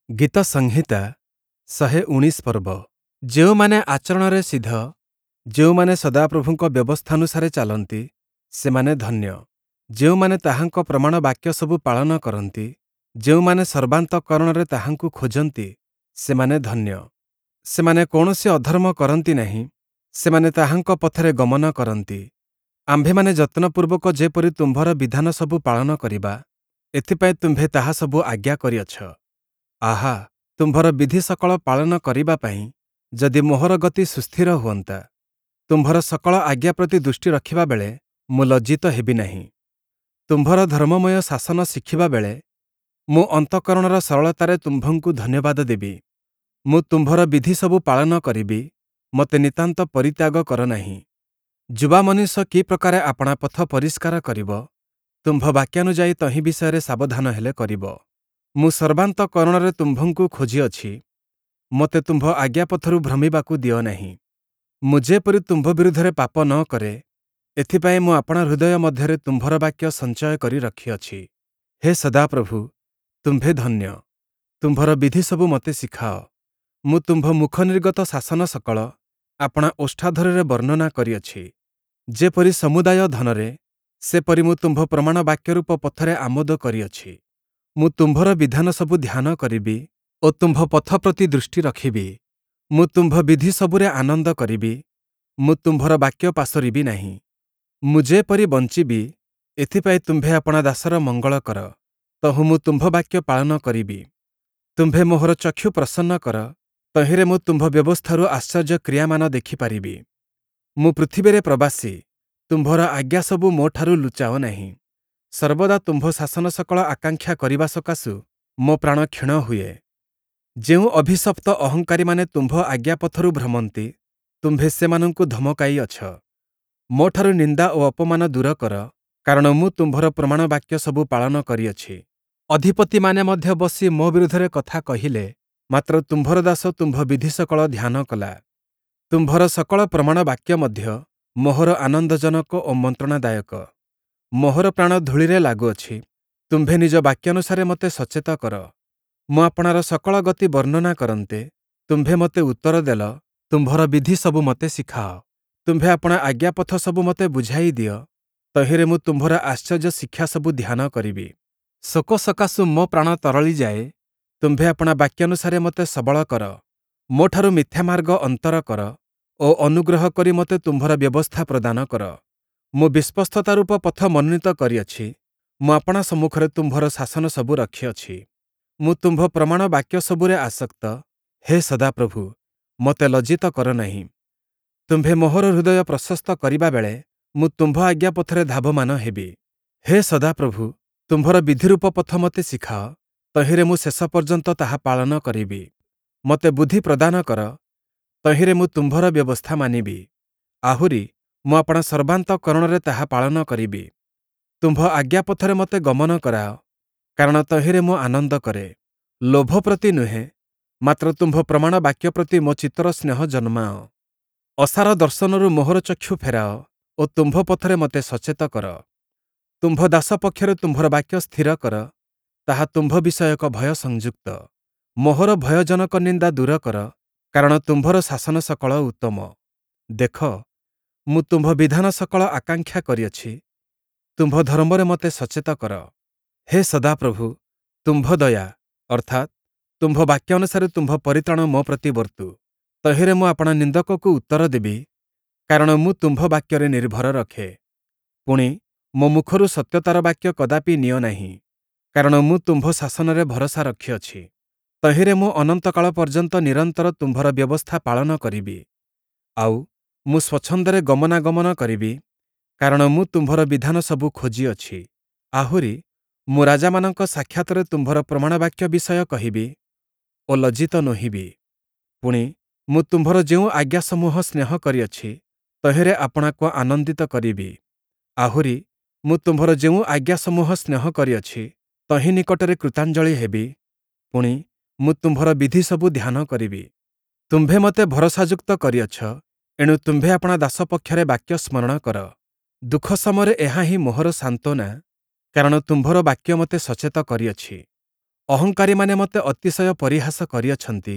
ଗୀତସଂହିତା 119 ପର୍ବ। ଯେଉଁମାନେ ଆଚରଣରେ ସିଧ, ଯେଉଁମାନେ ସଦାପ୍ରଭୁଙ୍କ ବ୍ୟବସ୍ଥାନୁସାରେ ଚାଲନ୍ତି, ସେମାନେ ଧନ୍ୟ। ଯେଉଁମାନେ ତାହାଙ୍କ ପ୍ରମାଣ ବାକ୍ୟସବୁ ପାଳନ କରନ୍ତି, ଯେଉଁମାନେ ସର୍ବାନ୍ତଃକରଣରେ ତାହାଙ୍କୁ ଖୋଜନ୍ତି, ସେମାନେ ଧନ୍ୟ। ସେମାନେ କୌଣସି ଅଧର୍ମ କରନ୍ତି ନାହିଁ, ସେମାନେ ତାହାଙ୍କ ପଥରେ ଗମନ କରନ୍ତି। ଆମ୍ଭେମାନେ ଯତ୍ନପୂର୍ବକ ଯେପରି ତୁମ୍ଭର ବିଧାନସବୁ ପାଳନ କରିବା, ଏଥିପାଇଁ ତୁମ୍ଭେ ତାହାସବୁ ଆଜ୍ଞା କରିଅଛ। ଆହା, ତୁମ୍ଭର ବିଧି ସକଳ ପାଳନ କରିବା ପାଇଁ ଯଦି ମୋହର ଗତି ସୁସ୍ଥିର ହୁଅନ୍ତା! ତୁମ୍ଭର ସକଳ ଆଜ୍ଞା ପ୍ରତି ଦୃଷ୍ଟି ରଖିବା ବେଳେ ମୁଁ ଲଜ୍ଜିତ ହେବି ନାହିଁ। ତୁମ୍ଭର ଧର୍ମମୟ ଶାସନ ଶିଖିବା ବେଳେ ମୁଁ ଅନ୍ତଃକରଣର ସରଳତାରେ ତୁମ୍ଭଙ୍କୁ ଧନ୍ୟବାଦ ଦେବି। ମୁଁ ତୁମ୍ଭର ବିଧିସବୁ ପାଳନ କରିବି, ମୋତେ ନିତାନ୍ତ ପରିତ୍ୟାଗ କର ନାହିଁ। ଯୁବା ମନୁଷ୍ୟ କି ପ୍ରକାରେ ଆପଣା ପଥ ପରିଷ୍କାର କରିବ? ତୁମ୍ଭ ବାକ୍ୟାନୁଯାୟୀ ତହିଁ ବିଷୟରେ ସାବଧାନ ହେଲେ କରିବ। ମୁଁ ସର୍ବାନ୍ତଃକରଣରେ ତୁମ୍ଭଙ୍କୁ ଖୋଜିଅଛି, ମୋତେ ତୁମ୍ଭ ଆଜ୍ଞାପଥରୁ ଭ୍ରମିବାକୁ ଦିଅ ନାହିଁ। ମୁଁ ଯେପରି ତୁମ୍ଭ ବିରୁଦ୍ଧରେ ପାପ ନ କରେ, ଏଥିପାଇଁ ମୁଁ ଆପଣା ହୃଦୟ ମଧ୍ୟରେ ତୁମ୍ଭର ବାକ୍ୟ ସଞ୍ଚୟ କରି ରଖିଅଛି। ହେ ସଦାପ୍ରଭୁ, ତୁମ୍ଭେ ଧନ୍ୟ, ତୁମ୍ଭର ବିଧିସବୁ ମୋତେ ଶିଖାଅ। ମୁଁ ତୁମ୍ଭ ମୁଖନିର୍ଗତ ଶାସନ ସକଳ ଆପଣା ଓଷ୍ଠାଧରରେ ବର୍ଣ୍ଣନା କରିଅଛି। ଯେପରି ସମୁଦାୟ ଧନରେ, ସେପରି ମୁଁ ତୁମ୍ଭ ପ୍ରମାଣ ବାକ୍ୟରୂପ ପଥରେ ଆମୋଦ କରିଅଛି। ମୁଁ ତୁମ୍ଭର ବିଧାନସବୁ ଧ୍ୟାନ କରିବି ଓ ତୁମ୍ଭ ପଥ ପ୍ରତି ଦୃଷ୍ଟି ରଖିବି। ମୁଁ ତୁମ୍ଭ ବିଧିସବୁରେ ଆନନ୍ଦ କରିବି, ମୁଁ ତୁମ୍ଭର ବାକ୍ୟ ପାସୋରିବି ନାହିଁ। ମୁଁ ଯେପରି ବଞ୍ଚିବି, ଏଥିପାଇଁ ତୁମ୍ଭେ ଆପଣା ଦାସର ମଙ୍ଗଳ କର, ତହୁଁ ମୁଁ ତୁମ୍ଭ ବାକ୍ୟ ପାଳନ କରିବି। ତୁମ୍ଭେ ମୋହର ଚକ୍ଷୁ ପ୍ରସନ୍ନ କର, ତହିଁରେ ମୁଁ ତୁମ୍ଭ ବ୍ୟବସ୍ଥାରୁ ଆଶ୍ଚର୍ଯ୍ୟ କ୍ରିୟାମାନ ଦେଖିପାରିବି। ମୁଁ ପୃଥିବୀରେ ପ୍ରବାସୀ, ତୁମ୍ଭର ଆଜ୍ଞାସବୁ ମୋଠାରୁ ଲୁଚାଅ ନାହିଁ। ସର୍ବଦା ତୁମ୍ଭ ଶାସନ ସକଳ ଆକାଂକ୍ଷା କରିବା ସକାଶୁ ମୋ ପ୍ରାଣ କ୍ଷୀଣ ହୁଏ। ଯେଉଁ ଅଭିଶପ୍ତ ଅହଙ୍କାରୀମାନେ ତୁମ୍ଭ ଆଜ୍ଞାପଥରୁ ଭ୍ରମନ୍ତି, ତୁମ୍ଭେ ସେମାନଙ୍କୁ ଧମକାଇଅଛ। ମୋଠାରୁ ନିନ୍ଦା ଓ ଅପମାନ ଦୂର କର, କାରଣ ମୁଁ ତୁମ୍ଭର ପ୍ରମାଣ ବାକ୍ୟ ସବୁ ପାଳନ କରିଅଛି। ଅଧିପତିମାନେ ମଧ୍ୟ ବସି ମୋ ବିରୁଦ୍ଧରେ କଥା କହିଲେ, ମାତ୍ର ତୁମ୍ଭର ଦାସ ତୁମ୍ଭ ବିଧି ସକଳ ଧ୍ୟାନ କଲା। ତୁମ୍ଭର ସକଳ ପ୍ରମାଣ ବାକ୍ୟ ମଧ୍ୟ ମୋହର ଆନନ୍ଦଜନକ ଓ ମନ୍ତ୍ରଣାଦାୟକ। ମୋହର ପ୍ରାଣ ଧୂଳିରେ ଲାଗୁଅଛି, ତୁମ୍ଭେ ନିଜ ବାକ୍ୟାନୁସାରେ ମୋତେ ସଚେତ କର। ମୁଁ ଆପଣାର ସକଳ ଗତି ବର୍ଣ୍ଣନା କରନ୍ତେ, ତୁମ୍ଭେ ମୋତେ ଉତ୍ତର ଦେଲ, ତୁମ୍ଭର ବିଧି ସବୁ ମୋତେ ଶିଖାଅ। ତୁମ୍ଭେ ଆପଣା ଆଜ୍ଞାପଥ ସବୁ ମୋତେ ବୁଝାଇ ଦିଅ, ତହିଁରେ ମୁଁ ତୁମ୍ଭର ଆଶ୍ଚର୍ଯ୍ୟ ଶିକ୍ଷା ସବୁ ଧ୍ୟାନ କରିବି। ଶୋକ ସକାଶୁ ମୋ ପ୍ରାଣ ତରଳିଯାଏ, ତୁମ୍ଭେ ଆପଣା ବାକ୍ୟାନୁସାରେ ମୋତେ ସବଳ କର। ମୋଠାରୁ ମିଥ୍ୟାମାର୍ଗ ଅନ୍ତର କର ଓ ଅନୁଗ୍ରହ କରି ମୋତେ ତୁମ୍ଭର ବ୍ୟବସ୍ଥା ପ୍ରଦାନ କର। ମୁଁ ବିଶ୍ୱସ୍ତତାରୂପ ପଥ ମନୋନୀତ କରିଅଛି, ମୁଁ ଆପଣା ସମ୍ମୁଖରେ ତୁମ୍ଭର ଶାସନ ସବୁ ରଖିଅଛି। ମୁଁ ତୁମ୍ଭ ପ୍ରମାଣ ବାକ୍ୟ ସବୁରେ ଆସକ୍ତ, ହେ ସଦାପ୍ରଭୁ, ମୋତେ ଲଜ୍ଜିତ କର ନାହିଁ। ତୁମ୍ଭେ ମୋହର ହୃଦୟ ପ୍ରଶସ୍ତ କରିବା ବେଳେ ମୁଁ ତୁମ୍ଭ ଆଜ୍ଞାପଥରେ ଧାବମାନ ହେବି। ହେ ସଦାପ୍ରଭୁ, ତୁମ୍ଭର ବିଧିରୂପ ପଥ ମୋତେ ଶିଖାଅ, ତହିଁରେ ମୁଁ ଶେଷ ପର୍ଯ୍ୟନ୍ତ ତାହା ପାଳନ କରିବି। ମୋତେ ବୁଦ୍ଧି ପ୍ରଦାନ କର, ତହିଁରେ ମୁଁ ତୁମ୍ଭର ବ୍ୟବସ୍ଥା ମାନିବି। ଆହୁରି ମୁଁ ଆପଣା ସର୍ବାନ୍ତଃକରଣରେ ତାହା ପାଳନ କରିବି। ତୁମ୍ଭ ଆଜ୍ଞାପଥରେ ମୋତେ ଗମନ କରାଅ, କାରଣ ତହିଁରେ ମୁଁ ଆନନ୍ଦ କରେ। ଲୋଭ ପ୍ରତି ନୁହେଁ, ମାତ୍ର ତୁମ୍ଭ ପ୍ରମାଣ ବାକ୍ୟ ପ୍ରତି ମୋ ଚିତ୍ତର ସ୍ନେହ ଜନ୍ମାଅ। ଅସାର ଦର୍ଶନରୁ ମୋହର ଚକ୍ଷୁ ଫେରାଅ ଓ ତୁମ୍ଭ ପଥରେ ମୋତେ ସଚେତ କର। ତୁମ୍ଭ ଦାସ ପକ୍ଷରେ ତୁମ୍ଭର ବାକ୍ୟ ସ୍ଥିର କର, ତାହା ତୁମ୍ଭ ବିଷୟକ ଭୟ ସଂଯୁକ୍ତ। ମୋହର ଭୟଜନକ ନିନ୍ଦା ଦୂର କର, କାରଣ ତୁମ୍ଭର ଶାସନ ସକଳ ଉତ୍ତମ। ଦେଖ, ମୁଁ ତୁମ୍ଭ ବିଧାନ ସକଳ ଆକାଂକ୍ଷା କରିଅଛି, ତୁମ୍ଭ ଧର୍ମରେ ମୋତେ ସଚେତ କର। ହେ ସଦାପ୍ରଭୁ, ତୁମ୍ଭ ଦୟା, ଅର୍ଥାତ୍ ତୁମ୍ଭ ବାକ୍ୟାନୁସାରେ ତୁମ୍ଭ ପରିତ୍ରାଣ ମୋ ପ୍ରତି ବର୍ତ୍ତୁ। ତହିଁରେ ମୁଁ ଆପଣା ନିନ୍ଦକକୁ ଉତ୍ତର ଦେବି, କାରଣ ମୁଁ ତୁମ୍ଭ ବାକ୍ୟରେ ନିର୍ଭର ରଖେ। ପୁଣି, ମୋ ମୁଖରୁ ସତ୍ୟତାର ବାକ୍ୟ କଦାପି ନିଅ ନାହିଁ, କାରଣ ମୁଁ ତୁମ୍ଭ ଶାସନରେ ଭରସା ରଖିଅଛି। ତହିଁରେ ମୁଁ ଅନନ୍ତକାଳ ପର୍ଯ୍ୟନ୍ତ ନିରନ୍ତର ତୁମ୍ଭର ବ୍ୟବସ୍ଥା ପାଳନ କରିବି। ଆଉ, ମୁଁ ସ୍ୱଚ୍ଛନ୍ଦରେ ଗମନାଗମନ କରିବି, କାରଣ ମୁଁ ତୁମ୍ଭର ବିଧାନ ସବୁ ଖୋଜିଅଛି। ଆହୁରି, ମୁଁ ରାଜାମାନଙ୍କ ସାକ୍ଷାତରେ ତୁମ୍ଭର ପ୍ରମାଣ ବାକ୍ୟ ବିଷୟ କହିବି ଓ ଲଜ୍ଜିତ ନୋହିବି। ପୁଣି, ମୁଁ ତୁମ୍ଭର ଯେଉଁ ଆଜ୍ଞାସମୂହ ସ୍ନେହ କରିଅଛି, ତହିଁରେ ଆପଣାକୁ ଆନନ୍ଦିତ କରିବି। ଆହୁରି, ମୁଁ ତୁମ୍ଭର ଯେଉଁ ଆଜ୍ଞାସମୂହ ସ୍ନେହ କରିଅଛି, ତହିଁ ନିକଟରେ କୃତାଞ୍ଜଳି ହେବି। ପୁଣି, ମୁଁ ତୁମ୍ଭର ବିଧିସବୁ ଧ୍ୟାନ କରିବି। ତୁମ୍ଭେ ମୋତେ ଭରସାଯୁକ୍ତ କରିଅଛ, ଏଣୁ ତୁମ୍ଭେ ଆପଣା ଦାସ ପକ୍ଷରେ ବାକ୍ୟ ସ୍ମରଣ କର। ଦୁଃଖ ସମୟରେ ଏହା ହିଁ ମୋହର ସାନ୍ତ୍ୱନା, କାରଣ ତୁମ୍ଭର ବାକ୍ୟ ମୋତେ ସଚେତ କରିଅଛି। ଅହଙ୍କାରୀମାନେ ମୋତେ ଅତିଶୟ ପରିହାସ କରିଅଛନ୍ତି,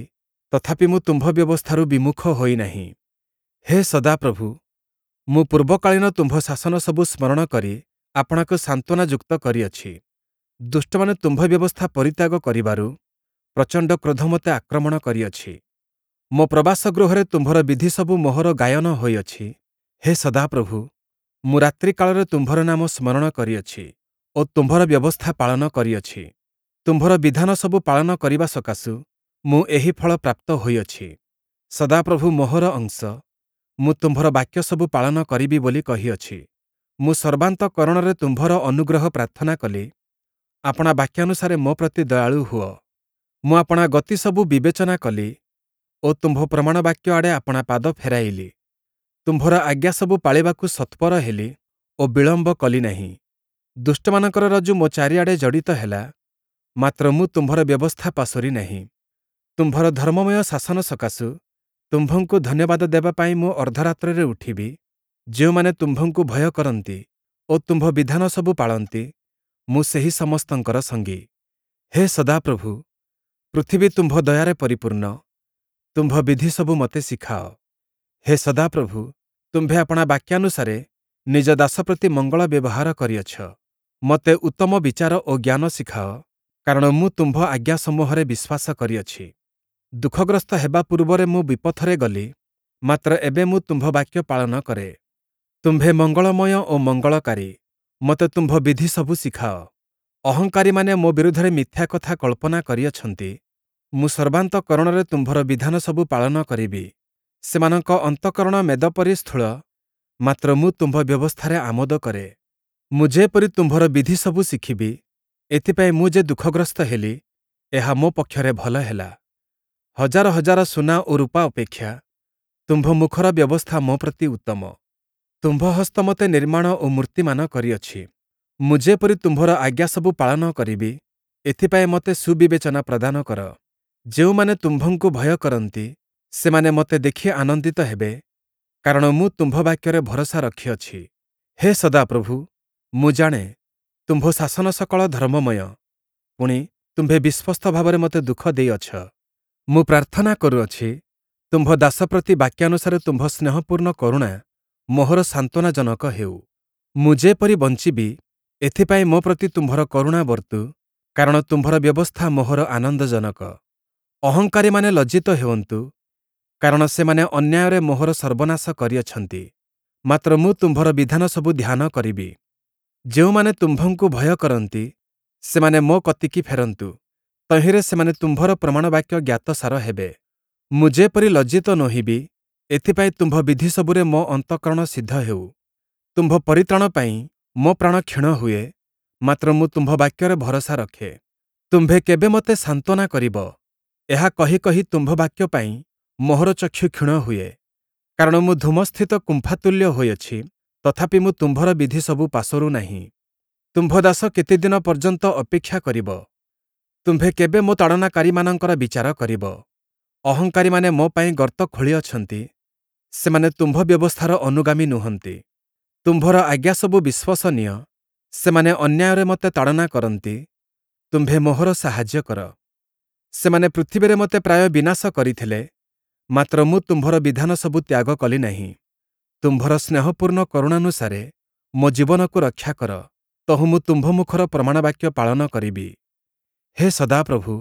ତଥାପି ମୁଁ ତୁମ୍ଭ ବ୍ୟବସ୍ଥାରୁ ବିମୁଖ ହୋଇ ନାହିଁ। ହେ ସଦାପ୍ରଭୁ, ମୁଁ ପୂର୍ବକାଳୀନ ତୁମ୍ଭ ଶାସନ ସବୁ ସ୍ମରଣ କରି ଆପଣାକୁ ସାନ୍ତ୍ୱନାଯୁକ୍ତ କରିଅଛି। ଦୁଷ୍ଟମାନେ ତୁମ୍ଭ ବ୍ୟବସ୍ଥା ପରିତ୍ୟାଗ କରିବାରୁ ପ୍ରଚଣ୍ଡ କ୍ରୋଧ ମୋତେ ଆକ୍ରମଣ କରିଅଛି। ମୋ ପ୍ରବାସ ଗୃହରେ ତୁମ୍ଭର ବିଧିସବୁ ମୋହର ଗାୟନ ହୋଇଅଛି। ହେ ସଦାପ୍ରଭୁ, ମୁଁ ରାତ୍ରିକାଳରେ ତୁମ୍ଭର ନାମ ସ୍ମରଣ କରିଅଛି ଓ ତୁମ୍ଭର ବ୍ୟବସ୍ଥା ପାଳନ କରିଅଛି। ତୁମ୍ଭର ବିଧାନ ସବୁ ପାଳନ କରିବା ସକାଶୁ ମୁଁ ଏହି ଫଳ ପ୍ରାପ୍ତ ହୋଇଅଛି। ସଦାପ୍ରଭୁ ମୋହର ଅଂଶ, ମୁଁ ତୁମ୍ଭର ବାକ୍ୟ ସବୁ ପାଳନ କରିବି ବୋଲି କହିଅଛି। ମୁଁ ସର୍ବାନ୍ତଃକରଣରେ ତୁମ୍ଭର ଅନୁଗ୍ରହ ପ୍ରାର୍ଥନା କଲି, ଆପଣା ବାକ୍ୟାନୁସାରେ ମୋ ପ୍ରତି ଦୟାଳୁ ହୁଅ। ମୁଁ ଆପଣା ଗତି ସବୁ ବିବେଚନା କଲି ଓ ତୁମ୍ଭ ପ୍ରମାଣ ବାକ୍ୟ ଆଡ଼େ ଆପଣା ପାଦ ଫେରାଇଲି। ତୁମ୍ଭର ଆଜ୍ଞା ସବୁ ପାଳିବାକୁ ସତ୍ପର ହେଲି ଓ ବିଳମ୍ବ କଲି ନାହିଁ। ଦୁଷ୍ଟମାନଙ୍କର ରଜ୍ଜୁ ମୋ ଚାରିଆଡ଼େ ଜଡ଼ିତ ହେଲା, ମାତ୍ର ମୁଁ ତୁମ୍ଭର ବ୍ୟବସ୍ଥା ପାସୋରି ନାହିଁ। ତୁମ୍ଭର ଧର୍ମମୟ ଶାସନ ସକାଶୁ ତୁମ୍ଭଙ୍କୁ ଧନ୍ୟବାଦ ଦେବା ପାଇଁ ମୁଁ ଅର୍ଦ୍ଧରାତ୍ରରେ ଉଠିବି। ଯେଉଁମାନେ ତୁମ୍ଭଙ୍କୁ ଭୟ କରନ୍ତି ଓ ତୁମ୍ଭ ବିଧାନ ସବୁ ପାଳନ୍ତି, ମୁଁ ସେହି ସମସ୍ତଙ୍କର ସଙ୍ଗୀ। ହେ ସଦାପ୍ରଭୁ, ପୃଥିବୀ ତୁମ୍ଭ ଦୟାରେ ପରିପୂର୍ଣ୍ଣ, ତୁମ୍ଭ ବିଧି ସବୁ ମୋତେ ଶିଖାଅ। ହେ ସଦାପ୍ରଭୁ, ତୁମ୍ଭେ ଆପଣା ବାକ୍ୟାନୁସାରେ ନିଜ ଦାସ ପ୍ରତି ମଙ୍ଗଳ ବ୍ୟବହାର କରିଅଛ। ମୋତେ ଉତ୍ତମ ବିଚାର ଓ ଜ୍ଞାନ ଶିଖାଅ, କାରଣ ମୁଁ ତୁମ୍ଭ ଆଜ୍ଞାସମୂହରେ ବିଶ୍ୱାସ କରିଅଛି। ଦୁଃଖଗ୍ରସ୍ତ ହେବା ପୂର୍ବରେ ମୁଁ ବିପଥରେ ଗଲି, ମାତ୍ର ଏବେ ମୁଁ ତୁମ୍ଭ ବାକ୍ୟ ପାଳନ କରେ। ତୁମ୍ଭେ ମଙ୍ଗଳମୟ ଓ ମଙ୍ଗଳକାରୀ, ମୋତେ ତୁମ୍ଭ ବିଧି ସବୁ ଶିଖାଅ। ଅହଙ୍କାରୀମାନେ ମୋ ବିରୁଦ୍ଧରେ ମିଥ୍ୟା କଥା କଳ୍ପନା କରିଅଛନ୍ତି, ମୁଁ ସର୍ବାନ୍ତଃକରଣରେ ତୁମ୍ଭର ବିଧାନ ସବୁ ପାଳନ କରିବି। ସେମାନଙ୍କ ଅନ୍ତଃକରଣ ମେଦ ପରି ସ୍ଥୂଳ, ମାତ୍ର ମୁଁ ତୁମ୍ଭ ବ୍ୟବସ୍ଥାରେ ଆମୋଦ କରେ। ମୁଁ ଯେପରି ତୁମ୍ଭର ବିଧି ସବୁ ଶିଖିବି, ଏଥିପାଇଁ ମୁଁ ଯେ ଦୁଃଖଗ୍ରସ୍ତ ହେଲି, ଏହା ମୋ ପକ୍ଷରେ ଭଲ ହେଲା। ହଜାର ହଜାର ସୁନା ଓ ରୂପା ଅପେକ୍ଷା ତୁମ୍ଭ ମୁଖର ବ୍ୟବସ୍ଥା ମୋ ପ୍ରତି ଉତ୍ତମ। ତୁମ୍ଭ ହସ୍ତ ମୋତେ ନିର୍ମାଣ ଓ ମୂର୍ତ୍ତିମାନ କରିଅଛି। ମୁଁ ଯେପରି ତୁମ୍ଭର ଆଜ୍ଞା ସବୁ ପାଳନ କରିବି, ଏଥିପାଇଁ ମୋତେ ସୁବିବେଚନା ପ୍ରଦାନ କର। ଯେଉଁମାନେ ତୁମ୍ଭଙ୍କୁ ଭୟ କରନ୍ତି, ସେମାନେ ମୋତେ ଦେଖି ଆନନ୍ଦିତ ହେବେ, କାରଣ ମୁଁ ତୁମ୍ଭ ବାକ୍ୟରେ ଭରସା ରଖିଅଛି। ହେ ସଦାପ୍ରଭୁ, ମୁଁ ଜାଣେ, ତୁମ୍ଭ ଶାସନ ସକଳ ଧର୍ମମୟ, ପୁଣି ତୁମ୍ଭେ ବିଶ୍ୱସ୍ତ ଭାବରେ ମୋତେ ଦୁଃଖ ଦେଇଅଛ। ମୁଁ ପ୍ରାର୍ଥନା କରୁଅଛି, ତୁମ୍ଭ ଦାସ ପ୍ରତି ବାକ୍ୟାନୁସାରେ ତୁମ୍ଭ ସ୍ନେହପୂର୍ଣ୍ଣ କରୁଣା ମୋହର ସାନ୍ତ୍ୱନାଜନକ ହେଉ। ମୁଁ ଯେପରି ବଞ୍ଚିବି, ଏଥିପାଇଁ ମୋ ପ୍ରତି ତୁମ୍ଭର କରୁଣା ବର୍ତ୍ତୁ, କାରଣ ତୁମ୍ଭର ବ୍ୟବସ୍ଥା ମୋହର ଆନନ୍ଦଜନକ। ଅହଙ୍କାରୀମାନେ ଲଜ୍ଜିତ ହେଉନ୍ତୁ, କାରଣ ସେମାନେ ଅନ୍ୟାୟରେ ମୋହର ସର୍ବନାଶ କରିଅଛନ୍ତି, ମାତ୍ର ମୁଁ ତୁମ୍ଭର ବିଧାନ ସବୁ ଧ୍ୟାନ କରିବି। ଯେଉଁମାନେ ତୁମ୍ଭଙ୍କୁ ଭୟ କରନ୍ତି, ସେମାନେ ମୋ କତିକି ଫେରନ୍ତୁ, ତହିଁରେ ସେମାନେ ତୁମ୍ଭର ପ୍ରମାଣବାକ୍ୟ ଜ୍ଞାତସାର ହେବେ। ମୁଁ ଯେପରି ଲଜ୍ଜିତ ନୋହିବି, ଏଥିପାଇଁ ତୁମ୍ଭ ବିଧି ସବୁରେ ମୋ ଅନ୍ତଃକରଣ ସିଦ୍ଧ ହେଉ। ତୁମ୍ଭ ପରିତ୍ରାଣ ପାଇଁ ମୋ ପ୍ରାଣ କ୍ଷୀଣ ହୁଏ, ମାତ୍ର ମୁଁ ତୁମ୍ଭ ବାକ୍ୟରେ ଭରସା ରଖେ। ତୁମ୍ଭେ କେବେ ମୋତେ ସାନ୍ତ୍ୱନା କରିବ? ଏହା କହି କହି ତୁମ୍ଭ ବାକ୍ୟ ପାଇଁ ମୋହର ଚକ୍ଷୁ କ୍ଷୀଣ ହୁଏ। କାରଣ ମୁଁ ଧୂମସ୍ଥିତ କୁମ୍ଫାତୁଲ୍ୟ ହୋଇଅଛି, ତଥାପି ମୁଁ ତୁମ୍ଭର ବିଧି ସବୁ ପାସୋରୁ ନାହିଁ। ତୁମ୍ଭ ଦାସ କେତେଦିନ ପର୍ଯ୍ୟନ୍ତ ଅପେକ୍ଷା କରିବ? ତୁମ୍ଭେ କେବେ ମୋ ତାଡ଼ନାକାରୀମାନଙ୍କର ବିଚାର କରିବ? ଅହଙ୍କାରୀମାନେ ମୋ ପାଇଁ ଗର୍ତ୍ତ ଖୋଳିଅଛନ୍ତି, ସେମାନେ ତୁମ୍ଭ ବ୍ୟବସ୍ଥାର ଅନୁଗାମୀ ନୁହନ୍ତି। ତୁମ୍ଭର ଆଜ୍ଞା ସବୁ ବିଶ୍ୱସନୀୟ, ସେମାନେ ଅନ୍ୟାୟରେ ମୋତେ ତାଡ଼ନା କରନ୍ତି, ତୁମ୍ଭେ ମୋହର ସାହାଯ୍ୟ କର। ସେମାନେ ପୃଥିବୀରେ ମୋତେ ପ୍ରାୟ ବିନାଶ କରିଥିଲେ, ମାତ୍ର ମୁଁ ତୁମ୍ଭର ବିଧାନ ସବୁ ତ୍ୟାଗ କଲି ନାହିଁ। ତୁମ୍ଭର ସ୍ନେହପୂର୍ଣ୍ଣ କରୁଣାନୁସାରେ ମୋ ଜୀବନକୁ ରକ୍ଷା କର, ତହୁଁ ମୁଁ ତୁମ୍ଭ ମୁଖର ପ୍ରମାଣବାକ୍ୟ ପାଳନ କରିବି। ହେ ସଦାପ୍ରଭୁ,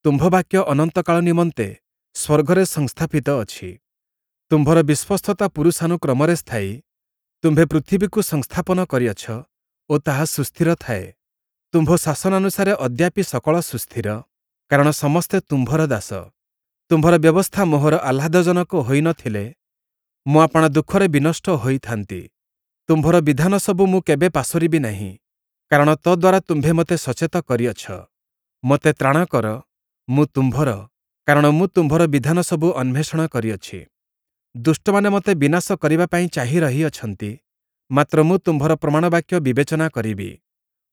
ତୁମ୍ଭ ବାକ୍ୟ ଅନନ୍ତକାଳ ନିମନ୍ତେ ସ୍ୱର୍ଗରେ ସଂସ୍ଥାପିତ ଅଛି। ତୁମ୍ଭର ବିଶ୍ୱସ୍ତତା ପୁରୁଷାନୁକ୍ରମରେ ସ୍ଥାୟୀ। ତୁମ୍ଭେ ପୃଥିବୀକୁ ସଂସ୍ଥାପନ କରିଅଛ ଓ ତାହା ସୁସ୍ଥିର ଥାଏ। ତୁମ୍ଭ ଶାସନାନୁସାରେ ଅଦ୍ୟାପି ସକଳ ସୁସ୍ଥିର, କାରଣ ସମସ୍ତେ ତୁମ୍ଭର ଦାସ। ତୁମ୍ଭର ବ୍ୟବସ୍ଥା ମୋହର ଆହ୍ଲାଦଜନକ ହୋଇନଥିଲେ ମୁଁ ଆପଣା ଦୁଃଖରେ ବିନଷ୍ଟ ହୋଇଥାନ୍ତି। ତୁମ୍ଭର ବିଧାନ ସବୁ ମୁଁ କେବେ ପାସୋରିବି ନାହିଁ, କାରଣ ତଦ୍ୱାରା ତୁମ୍ଭେ ମୋତେ ସଚେତ କରିଅଛ। ମୋତେ ତ୍ରାଣ କର, ମୁଁ ତୁମ୍ଭର, କାରଣ ମୁଁ ତୁମ୍ଭର ବିଧାନ ସବୁ ଅନ୍ୱେଷଣ କରିଅଛି। ଦୁଷ୍ଟମାନେ ମୋତେ ବିନାଶ କରିବା ପାଇଁ ଚାହିଁ ରହିଅଛନ୍ତି, ମାତ୍ର ମୁଁ ତୁମ୍ଭର ପ୍ରମାଣବାକ୍ୟ ବିବେଚନା କରିବି।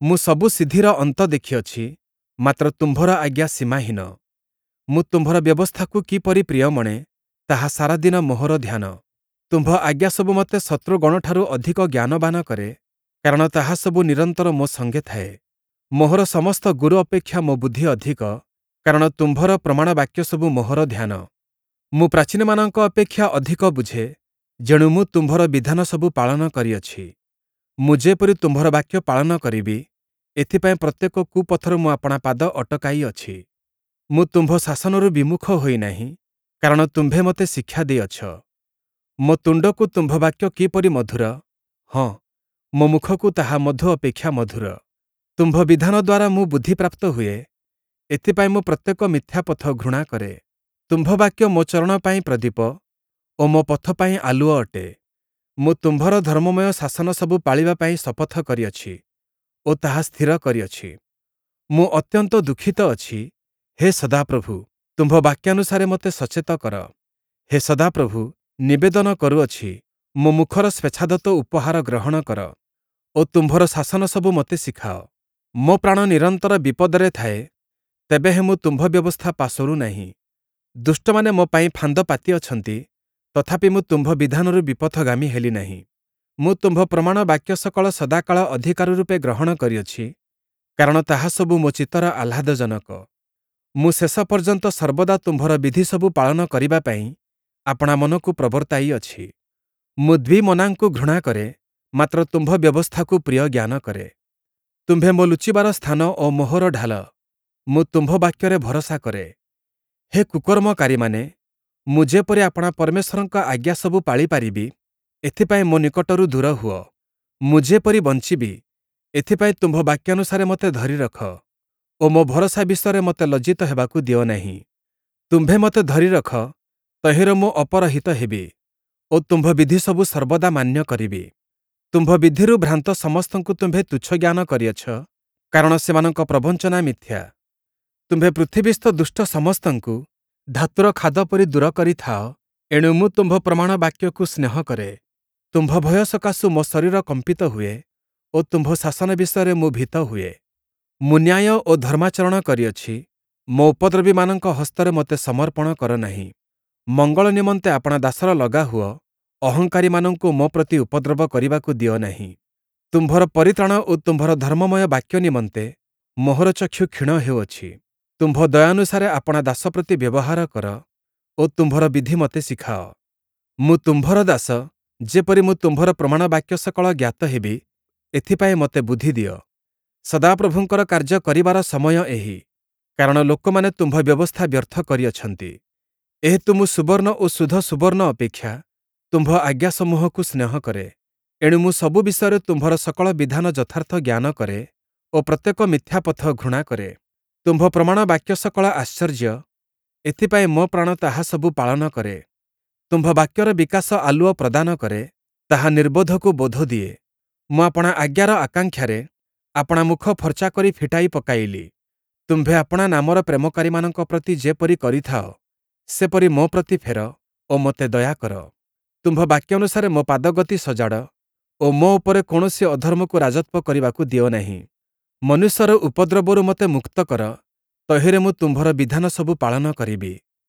ମୁଁ ସବୁ ସିଦ୍ଧିର ଅନ୍ତ ଦେଖିଅଛି, ମାତ୍ର ତୁମ୍ଭର ଆଜ୍ଞା ସୀମାହୀନ। ମୁଁ ତୁମ୍ଭର ବ୍ୟବସ୍ଥାକୁ କିପରି ପ୍ରିୟ ମଣେ, ତାହା ସାରାଦିନ ମୋହର ଧ୍ୟାନ। ତୁମ୍ଭ ଆଜ୍ଞା ସବୁ ମୋତେ ଶତ୍ରୁଗଣଠାରୁ ଅଧିକ ଜ୍ଞାନବାନ କରେ, କାରଣ ତାହା ସବୁ ନିରନ୍ତର ମୋ ସଙ୍ଗେ ଥାଏ। ମୋହର ସମସ୍ତ ଗୁରୁ ଅପେକ୍ଷା ମୋ ବୁଦ୍ଧି ଅଧିକ, କାରଣ ତୁମ୍ଭର ପ୍ରମାଣ ବାକ୍ୟସବୁ ମୋହର ଧ୍ୟାନ। ମୁଁ ପ୍ରାଚୀନମାନଙ୍କ ଅପେକ୍ଷା ଅଧିକ ବୁଝେ, ଯେଣୁ ମୁଁ ତୁମ୍ଭର ବିଧାନ ସବୁ ପାଳନ କରିଅଛି। ମୁଁ ଯେପରି ତୁମ୍ଭର ବାକ୍ୟ ପାଳନ କରିବି, ଏଥିପାଇଁ ପ୍ରତ୍ୟେକ କୁପଥରୁ ମୁଁ ଆପଣା ପାଦ ଅଟକାଇଅଛି। ମୁଁ ତୁମ୍ଭ ଶାସନରୁ ବିମୁଖ ହୋଇ ନାହିଁ, କାରଣ ତୁମ୍ଭେ ମୋତେ ଶିକ୍ଷା ଦେଇଅଛ। ମୋ ତୁଣ୍ଡକୁ ତୁମ୍ଭ ବାକ୍ୟ କିପରି ମଧୁର! ହଁ, ମୋ ମୁଖକୁ ତାହା ମଧୁ ଅପେକ୍ଷା ମଧୁର। ତୁମ୍ଭ ବିଧାନ ଦ୍ୱାରା ମୁଁ ବୁଦ୍ଧିପ୍ରାପ୍ତ ହୁଏ, ଏଥିପାଇଁ ମୁଁ ପ୍ରତ୍ୟେକ ମିଥ୍ୟା ପଥ ଘୃଣା କରେ। ତୁମ୍ଭ ବାକ୍ୟ ମୋ ଚରଣ ପାଇଁ ପ୍ରଦୀପ ଓ ମୋ ପଥ ପାଇଁ ଆଲୁଅ ଅଟେ। ମୁଁ ତୁମ୍ଭର ଧର୍ମମୟ ଶାସନ ସବୁ ପାଳିବା ପାଇଁ ଶପଥ କରିଅଛି ଓ ତାହା ସ୍ଥିର କରିଅଛି। ମୁଁ ଅତ୍ୟନ୍ତ ଦୁଃଖିତ ଅଛି, ହେ ସଦାପ୍ରଭୁ, ତୁମ୍ଭ ବାକ୍ୟାନୁସାରେ ମୋତେ ସଚେତ କର। ହେ ସଦାପ୍ରଭୁ, ନିବେଦନ କରୁଅଛି, ମୋ ମୁଖର ସ୍ୱେଚ୍ଛାଦତ୍ତ ଉପହାର ଗ୍ରହଣ କର ଓ ତୁମ୍ଭର ଶାସନ ସବୁ ମୋତେ ଶିଖାଅ। ମୋ ପ୍ରାଣ ନିରନ୍ତର ବିପଦରେ ଥାଏ, ତେବେହେଁ ମୁଁ ତୁମ୍ଭ ବ୍ୟବସ୍ଥା ପାସୋରୁ ନାହିଁ। ଦୁଷ୍ଟମାନେ ମୋ ପାଇଁ ଫାନ୍ଦ ପାତିଅଛନ୍ତି, ତଥାପି ମୁଁ ତୁମ୍ଭ ବିଧାନରୁ ବିପଥଗାମୀ ହେଲି ନାହିଁ। ମୁଁ ତୁମ୍ଭ ପ୍ରମାଣ ବାକ୍ୟ ସକଳ ସଦାକାଳ ଅଧିକାର ରୂପେ ଗ୍ରହଣ କରିଅଛି, କାରଣ ତାହା ସବୁ ମୋ ଚିତ୍ତର ଆହ୍ଲାଦଜନକ। ମୁଁ ଶେଷ ପର୍ଯ୍ୟନ୍ତ ସର୍ବଦା ତୁମ୍ଭର ବିଧିସବୁ ପାଳନ କରିବା ପାଇଁ ଆପଣା ମନକୁ ପ୍ରବର୍ତ୍ତାଇଅଛି। ମୁଁ ଦ୍ୱିମନାଙ୍କୁ ଘୃଣା କରେ, ମାତ୍ର ତୁମ୍ଭ ବ୍ୟବସ୍ଥାକୁ ପ୍ରିୟ ଜ୍ଞାନ କରେ। ତୁମ୍ଭେ ମୋ ଲୁଚିବାର ସ୍ଥାନ ଓ ମୋହର ଢାଲ, ମୁଁ ତୁମ୍ଭ ବାକ୍ୟରେ ଭରସା କରେ। ହେ କୁକର୍ମକାରୀମାନେ, ମୁଁ ଯେପରି ଆପଣା ପରମେଶ୍ୱରଙ୍କ ଆଜ୍ଞା ସବୁ ପାଳିପାରିବି, ଏଥିପାଇଁ ମୋ ନିକଟରୁ ଦୂର ହୁଅ। ମୁଁ ଯେପରି ବଞ୍ଚିବି, ଏଥିପାଇଁ ତୁମ୍ଭ ବାକ୍ୟାନୁସାରେ ମୋତେ ଧରି ରଖ ଓ ମୋ ଭରସା ବିଷୟରେ ମୋତେ ଲଜ୍ଜିତ ହେବାକୁ ଦିଅ ନାହିଁ। ତୁମ୍ଭେ ମୋତେ ଧରି ରଖ, ତହିଁରେ ମୁଁ ଅପରହିତ ହେବି ଓ ତୁମ୍ଭ ବିଧିସବୁ ସର୍ବଦା ମାନ୍ୟ କରିବି। ତୁମ୍ଭ ବିଧିରୁ ଭ୍ରାନ୍ତ ସମସ୍ତଙ୍କୁ ତୁମ୍ଭେ ତୁଚ୍ଛ ଜ୍ଞାନ କରିଅଛ, କାରଣ ସେମାନଙ୍କ ପ୍ରବଞ୍ଚନା ମିଥ୍ୟା। ତୁମ୍ଭେ ପୃଥିବୀସ୍ଥ ଦୁଷ୍ଟ ସମସ୍ତଙ୍କୁ ଧାତୁର ଖାଦ ପରି ଦୂର କରିଥାଅ, ଏଣୁ ମୁଁ ତୁମ୍ଭ ପ୍ରମାଣ ବାକ୍ୟକୁ ସ୍ନେହ କରେ। ତୁମ୍ଭ ଭୟ ସକାଶୁ ମୋ ଶରୀର କମ୍ପିତ ହୁଏ ଓ ତୁମ୍ଭ ଶାସନ ବିଷୟରେ ମୁଁ ଭୀତ ହୁଏ। ମୁଁ ନ୍ୟାୟ ଓ ଧର୍ମାଚରଣ କରିଅଛି, ମୋ ଉପଦ୍ରବୀମାନଙ୍କ ହସ୍ତରେ ମୋତେ ସମର୍ପଣ କର ନାହିଁ। ମଙ୍ଗଳ ନିମନ୍ତେ ଆପଣା ଦାସର ଲଗା ହୁଅ, ଅହଙ୍କାରୀମାନଙ୍କୁ ମୋ ପ୍ରତି ଉପଦ୍ରବ କରିବାକୁ ଦିଅ ନାହିଁ। ତୁମ୍ଭର ପରିତ୍ରାଣ ଓ ତୁମ୍ଭର ଧର୍ମମୟ ବାକ୍ୟ ନିମନ୍ତେ ମୋହର ଚକ୍ଷୁ କ୍ଷୀଣ ହେଉଅଛି। ତୁମ୍ଭ ଦୟାନୁସାରେ ଆପଣା ଦାସ ପ୍ରତି ବ୍ୟବହାର କର ଓ ତୁମ୍ଭର ବିଧି ମୋତେ ଶିଖାଅ। ମୁଁ ତୁମ୍ଭର ଦାସ, ଯେପରି ମୁଁ ତୁମ୍ଭର ପ୍ରମାଣ ବାକ୍ୟ ସକଳ ଜ୍ଞାତ ହେବି, ଏଥିପାଇଁ ମୋତେ ବୁଦ୍ଧି ଦିଅ। ସଦାପ୍ରଭୁଙ୍କର କାର୍ଯ୍ୟ କରିବାର ସମୟ ଏହି, କାରଣ ଲୋକମାନେ ତୁମ୍ଭ ବ୍ୟବସ୍ଥା ବ୍ୟର୍ଥ କରିଅଛନ୍ତି। ଏହେତୁ ମୁଁ ସୁବର୍ଣ୍ଣ ଓ ଶୁଦ୍ଧ ସୁବର୍ଣ୍ଣ ଅପେକ୍ଷା ତୁମ୍ଭ ଆଜ୍ଞାସମୂହକୁ ସ୍ନେହ କରେ। ଏଣୁ ମୁଁ ସବୁ ବିଷୟରେ ତୁମ୍ଭର ସକଳ ବିଧାନ ଯଥାର୍ଥ ଜ୍ଞାନ କରେ ଓ ପ୍ରତ୍ୟେକ ମିଥ୍ୟା ପଥ ଘୃଣା କରେ। ତୁମ୍ଭ ପ୍ରମାଣ ବାକ୍ୟ ସକଳ ଆଶ୍ଚର୍ଯ୍ୟ, ଏଥିପାଇଁ ମୋ ପ୍ରାଣ ତାହା ସବୁ ପାଳନ କରେ। ତୁମ୍ଭ ବାକ୍ୟର ବିକାଶ ଆଲୁଅ ପ୍ରଦାନ କରେ, ତାହା ନିର୍ବୋଧକୁ ବୋଧ ଦିଏ। ମୁଁ ଆପଣା ଆଜ୍ଞାର ଆକାଂକ୍ଷାରେ ଆପଣା ମୁଖ ଫର୍ଚ୍ଚା କରି ଫିଟାଇ ପକାଇଲି। ତୁମ୍ଭେ ଆପଣା ନାମର ପ୍ରେମକାରୀମାନଙ୍କ ପ୍ରତି ଯେପରି କରିଥାଅ, ସେପରି ମୋ ପ୍ରତି ଫେର ଓ ମୋତେ ଦୟା କର। ତୁମ୍ଭ ବାକ୍ୟାନୁସାରେ ମୋ ପାଦଗତି ସଜାଡ଼ ଓ ମୋ ଉପରେ କୌଣସି ଅଧର୍ମକୁ ରାଜତ୍ୱ କରିବାକୁ ଦିଅ ନାହିଁ। ମନୁଷ୍ୟର ଉପଦ୍ରବରୁ ମୋତେ ମୁକ୍ତ କର, ତହିଁରେ ମୁଁ ତୁମ୍ଭର ବିଧାନ ସବୁ ପାଳନ କରିବି।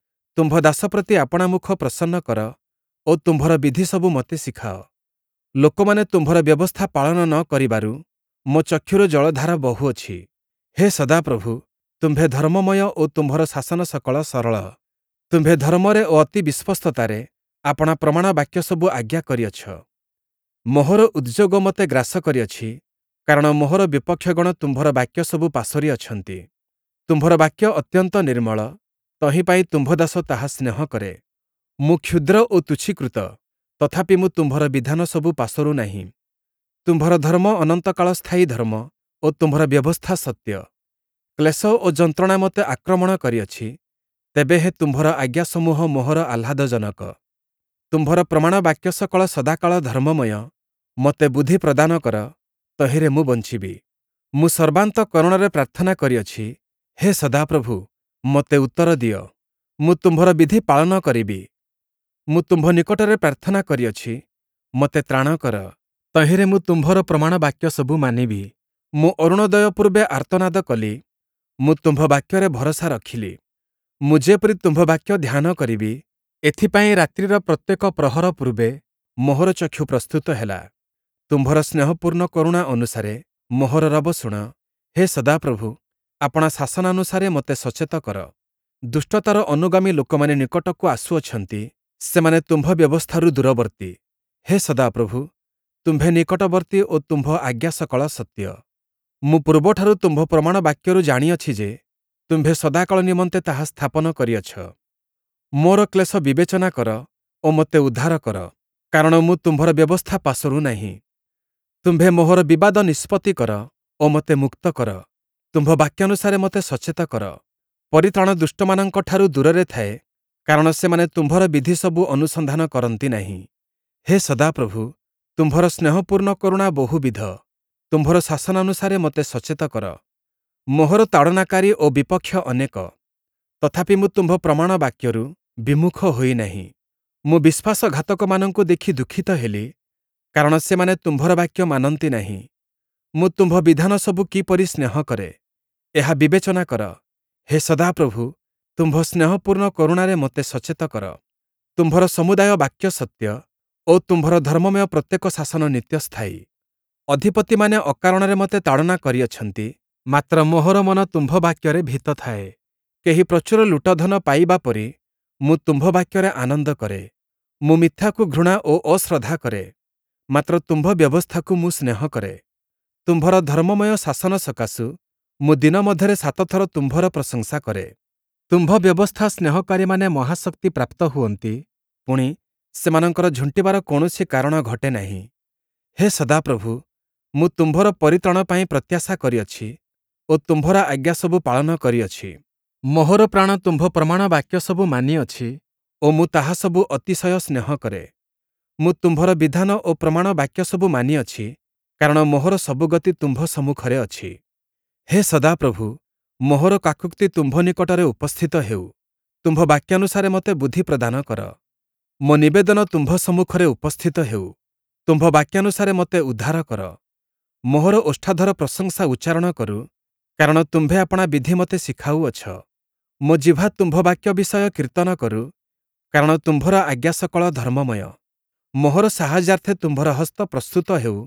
ତୁମ୍ଭ ଦାସ ପ୍ରତି ଆପଣା ମୁଖ ପ୍ରସନ୍ନ କର ଓ ତୁମ୍ଭର ବିଧି ସବୁ ମୋତେ ଶିଖାଅ। ଲୋକମାନେ ତୁମ୍ଭର ବ୍ୟବସ୍ଥା ପାଳନ ନ କରିବାରୁ ମୋ ଚକ୍ଷୁରୁ ଜଳଧାର ବହୁଅଛି। ହେ ସଦାପ୍ରଭୁ, ତୁମ୍ଭେ ଧର୍ମମୟ ଓ ତୁମ୍ଭର ଶାସନ ସକଳ ସରଳ। ତୁମ୍ଭେ ଧର୍ମରେ ଓ ଅତି ବିଶ୍ୱସ୍ତତାରେ ଆପଣା ପ୍ରମାଣ ବାକ୍ୟ ସବୁ ଆଜ୍ଞା କରିଅଛ। ମୋହର ଉଦ୍ଯୋଗ ମୋତେ ଗ୍ରାସ କରିଅଛି, କାରଣ ମୋହର ବିପକ୍ଷଗଣ ତୁମ୍ଭର ବାକ୍ୟ ସବୁ ପାସୋରି ଅଛନ୍ତି। ତୁମ୍ଭର ବାକ୍ୟ ଅତ୍ୟନ୍ତ ନିର୍ମଳ, ତହିଁ ପାଇଁ ତୁମ୍ଭ ଦାସ ତାହା ସ୍ନେହ କରେ। ମୁଁ କ୍ଷୁଦ୍ର ଓ ତୁଚ୍ଛୀକୃତ, ତଥାପି ମୁଁ ତୁମ୍ଭର ବିଧାନ ସବୁ ପାସୋରୁ ନାହିଁ। ତୁମ୍ଭର ଧର୍ମ ଅନନ୍ତକାଳ ସ୍ଥାୟୀ ଧର୍ମ ଓ ତୁମ୍ଭର ବ୍ୟବସ୍ଥା ସତ୍ୟ। କ୍ଲେଶ ଓ ଯନ୍ତ୍ରଣା ମୋତେ ଆକ୍ରମଣ କରିଅଛି, ତେବେହେଁ ତୁମ୍ଭର ଆଜ୍ଞାସମୂହ ମୋହର ଆହ୍ଲାଦଜନକ। ତୁମ୍ଭର ପ୍ରମାଣ ବାକ୍ୟ ସକଳ ସଦାକାଳ ଧର୍ମମୟ, ମୋତେ ବୁଦ୍ଧି ପ୍ରଦାନ କର, ତହିଁରେ ମୁଁ ବଞ୍ଚିବି। ମୁଁ ସର୍ବାନ୍ତଃକରଣରେ ପ୍ରାର୍ଥନା କରିଅଛି, ହେ ସଦାପ୍ରଭୁ, ମୋତେ ଉତ୍ତର ଦିଅ, ମୁଁ ତୁମ୍ଭର ବିଧି ପାଳନ କରିବି। ମୁଁ ତୁମ୍ଭ ନିକଟରେ ପ୍ରାର୍ଥନା କରିଅଛି, ମୋତେ ତ୍ରାଣ କର, ତହିଁରେ ମୁଁ ତୁମ୍ଭର ପ୍ରମାଣ ବାକ୍ୟ ସବୁ ମାନିବି। ମୁଁ ଅରୁଣୋଦୟ ପୂର୍ବେ ଆର୍ତ୍ତନାଦ କଲି, ମୁଁ ତୁମ୍ଭ ବାକ୍ୟରେ ଭରସା ରଖିଲି। ମୁଁ ଯେପରି ତୁମ୍ଭ ବାକ୍ୟ ଧ୍ୟାନ କରିବି, ଏଥିପାଇଁ ରାତ୍ରିର ପ୍ରତ୍ୟେକ ପ୍ରହର ପୂର୍ବେ ମୋହର ଚକ୍ଷୁ ପ୍ରସ୍ତୁତ ହେଲା। ତୁମ୍ଭର ସ୍ନେହପୂର୍ଣ୍ଣ କରୁଣା ଅନୁସାରେ ମୋହର ରବ ଶୁଣ, ହେ ସଦାପ୍ରଭୁ, ଆପଣା ଶାସନାନୁସାରେ ମୋତେ ସଚେତ କର। ଦୁଷ୍ଟତାର ଅନୁଗାମୀ ଲୋକମାନେ ନିକଟକୁ ଆସୁଅଛନ୍ତି, ସେମାନେ ତୁମ୍ଭ ବ୍ୟବସ୍ଥାରୁ ଦୂରବର୍ତ୍ତୀ। ହେ ସଦାପ୍ରଭୁ, ତୁମ୍ଭେ ନିକଟବର୍ତ୍ତୀ ଓ ତୁମ୍ଭ ଆଜ୍ଞା ସକଳ ସତ୍ୟ। ମୁଁ ପୂର୍ବଠାରୁ ତୁମ୍ଭ ପ୍ରମାଣ ବାକ୍ୟରୁ ଜାଣିଅଛି ଯେ, ତୁମ୍ଭେ ସଦାକାଳ ନିମନ୍ତେ ତାହା ସ୍ଥାପନ କରିଅଛ। ମୋର କ୍ଲେଶ ବିବେଚନା କର ଓ ମୋତେ ଉଦ୍ଧାର କର, କାରଣ ମୁଁ ତୁମ୍ଭର ବ୍ୟବସ୍ଥା ପାସୋରୁ ନାହିଁ। ତୁମ୍ଭେ ମୋହର ବିବାଦ ନିଷ୍ପତ୍ତି କର ଓ ମୋତେ ମୁକ୍ତ କର, ତୁମ୍ଭ ବାକ୍ୟାନୁସାରେ ମୋତେ ସଚେତ କର। ପରିତ୍ରାଣ ଦୁଷ୍ଟମାନଙ୍କଠାରୁ ଦୂରରେ ଥାଏ, କାରଣ ସେମାନେ ତୁମ୍ଭର ବିଧିସବୁ ଅନୁସନ୍ଧାନ କରନ୍ତି ନାହିଁ। ହେ ସଦାପ୍ରଭୁ, ତୁମ୍ଭର ସ୍ନେହପୂର୍ଣ୍ଣ କରୁଣା ବହୁବିଧ, ତୁମ୍ଭର ଶାସନାନୁସାରେ ମୋତେ ସଚେତ କର। ମୋହର ତାଡ଼ନାକାରୀ ଓ ବିପକ୍ଷ ଅନେକ, ତଥାପି ମୁଁ ତୁମ୍ଭ ପ୍ରମାଣ ବାକ୍ୟରୁ ବିମୁଖ ହୋଇ ନାହିଁ। ମୁଁ ବିଶ୍ୱାସଘାତକମାନଙ୍କୁ ଦେଖି ଦୁଃଖିତ ହେଲି, କାରଣ ସେମାନେ ତୁମ୍ଭର ବାକ୍ୟ ମାନନ୍ତି ନାହିଁ। ମୁଁ ତୁମ୍ଭ ବିଧାନ ସବୁ କିପରି ସ୍ନେହ କରେ, ଏହା ବିବେଚନା କର। ହେ ସଦାପ୍ରଭୁ, ତୁମ୍ଭ ସ୍ନେହପୂର୍ଣ୍ଣ କରୁଣାରେ ମୋତେ ସଚେତ କର। ତୁମ୍ଭର ସମୁଦାୟ ବାକ୍ୟ ସତ୍ୟ ଓ ତୁମ୍ଭର ଧର୍ମମୟ ପ୍ରତ୍ୟେକ ଶାସନ ନିତ୍ୟସ୍ଥାୟୀ। ଅଧିପତିମାନେ ଅକାରଣରେ ମୋତେ ତାଡ଼ନା କରିଅଛନ୍ତି, ମାତ୍ର ମୋହର ମନ ତୁମ୍ଭ ବାକ୍ୟରେ ଭୀତ ଥାଏ। କେହି ପ୍ରଚୁର ଲୁଟଧନ ପାଇବା ପରି ମୁଁ ତୁମ୍ଭ ବାକ୍ୟରେ ଆନନ୍ଦ କରେ। ମୁଁ ମିଥ୍ୟାକୁ ଘୃଣା ଓ ଅଶ୍ରଦ୍ଧା କରେ, ମାତ୍ର ତୁମ୍ଭ ବ୍ୟବସ୍ଥାକୁ ମୁଁ ସ୍ନେହ କରେ। ତୁମ୍ଭର ଧର୍ମମୟ ଶାସନ ସକାଶୁ ମୁଁ ଦିନ ମଧ୍ୟରେ ସାତଥର ତୁମ୍ଭର ପ୍ରଶଂସା କରେ। ତୁମ୍ଭ ବ୍ୟବସ୍ଥା ସ୍ନେହକାରୀମାନେ ମହାଶକ୍ତି ପ୍ରାପ୍ତ ହୁଅନ୍ତି, ପୁଣି ସେମାନଙ୍କର ଝୁଣ୍ଟିବାର କୌଣସି କାରଣ ଘଟେ ନାହିଁ। ହେ ସଦାପ୍ରଭୁ, ମୁଁ ତୁମ୍ଭର ପରିତ୍ରାଣ ପାଇଁ ପ୍ରତ୍ୟାଶା କରିଅଛି ଓ ତୁମ୍ଭର ଆଜ୍ଞାସବୁ ପାଳନ କରିଅଛି। ମୋହର ପ୍ରାଣ ତୁମ୍ଭ ପ୍ରମାଣ ବାକ୍ୟ ସବୁ ମାନିଅଛି ଓ ମୁଁ ତାହା ସବୁ ଅତିଶୟ ସ୍ନେହ କରେ। ମୁଁ ତୁମ୍ଭର ବିଧାନ ଓ ପ୍ରମାଣ ବାକ୍ୟ ସବୁ ମାନିଅଛି, କାରଣ ମୋହର ସବୁ ଗତି ତୁମ୍ଭ ସମ୍ମୁଖରେ ଅଛି। ହେ ସଦାପ୍ରଭୁ, ମୋହର କାକୂକ୍ତି ତୁମ୍ଭ ନିକଟରେ ଉପସ୍ଥିତ ହେଉ, ତୁମ୍ଭ ବାକ୍ୟାନୁସାରେ ମୋତେ ବୁଦ୍ଧି ପ୍ରଦାନ କର। ମୋ ନିବେଦନ ତୁମ୍ଭ ସମ୍ମୁଖରେ ଉପସ୍ଥିତ ହେଉ, ତୁମ୍ଭ ବାକ୍ୟାନୁସାରେ ମୋତେ ଉଦ୍ଧାର କର। ମୋହର ଓଷ୍ଠାଧର ପ୍ରଶଂସା ଉଚ୍ଚାରଣ କରୁ, କାରଣ ତୁମ୍ଭେ ଆପଣା ବିଧି ମୋତେ ଶିଖାଉଅଛ। ମୋ ଜିହ୍ବା ତୁମ୍ଭ ବାକ୍ୟ ବିଷୟ କୀର୍ତ୍ତନ କରୁ, କାରଣ ତୁମ୍ଭର ଆଜ୍ଞା ସକଳ ଧର୍ମମୟ। ମୋହର ସାହାଯ୍ୟାର୍ଥେ ତୁମ୍ଭର ହସ୍ତ ପ୍ରସ୍ତୁତ ହେଉ,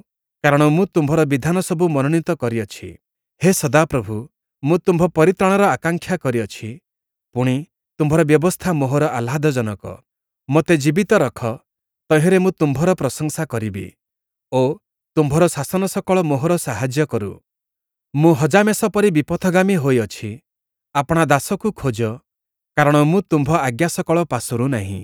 କାରଣ ମୁଁ ତୁମ୍ଭର ବିଧାନ ସବୁ ମନୋନୀତ କରିଅଛି। ହେ ସଦାପ୍ରଭୁ, ମୁଁ ତୁମ୍ଭ ପରିତ୍ରାଣର ଆକାଂକ୍ଷା କରିଅଛି, ପୁଣି ତୁମ୍ଭର ବ୍ୟବସ୍ଥା ମୋହର ଆହ୍ଲାଦଜନକ। ମୋତେ ଜୀବିତ ରଖ, ତହିଁରେ ମୁଁ ତୁମ୍ଭର ପ୍ରଶଂସା କରିବି ଓ ତୁମ୍ଭର ଶାସନ ସକଳ ମୋହର ସାହାଯ୍ୟ କରୁ। ମୁଁ ହଜାମେଷ ପରି ବିପଥଗାମୀ ହୋଇଅଛି, ଆପଣା ଦାସକୁ ଖୋଜ, କାରଣ ମୁଁ ତୁମ୍ଭ ଆଜ୍ଞା ସକଳ ପାସୋରୁ ନାହିଁ।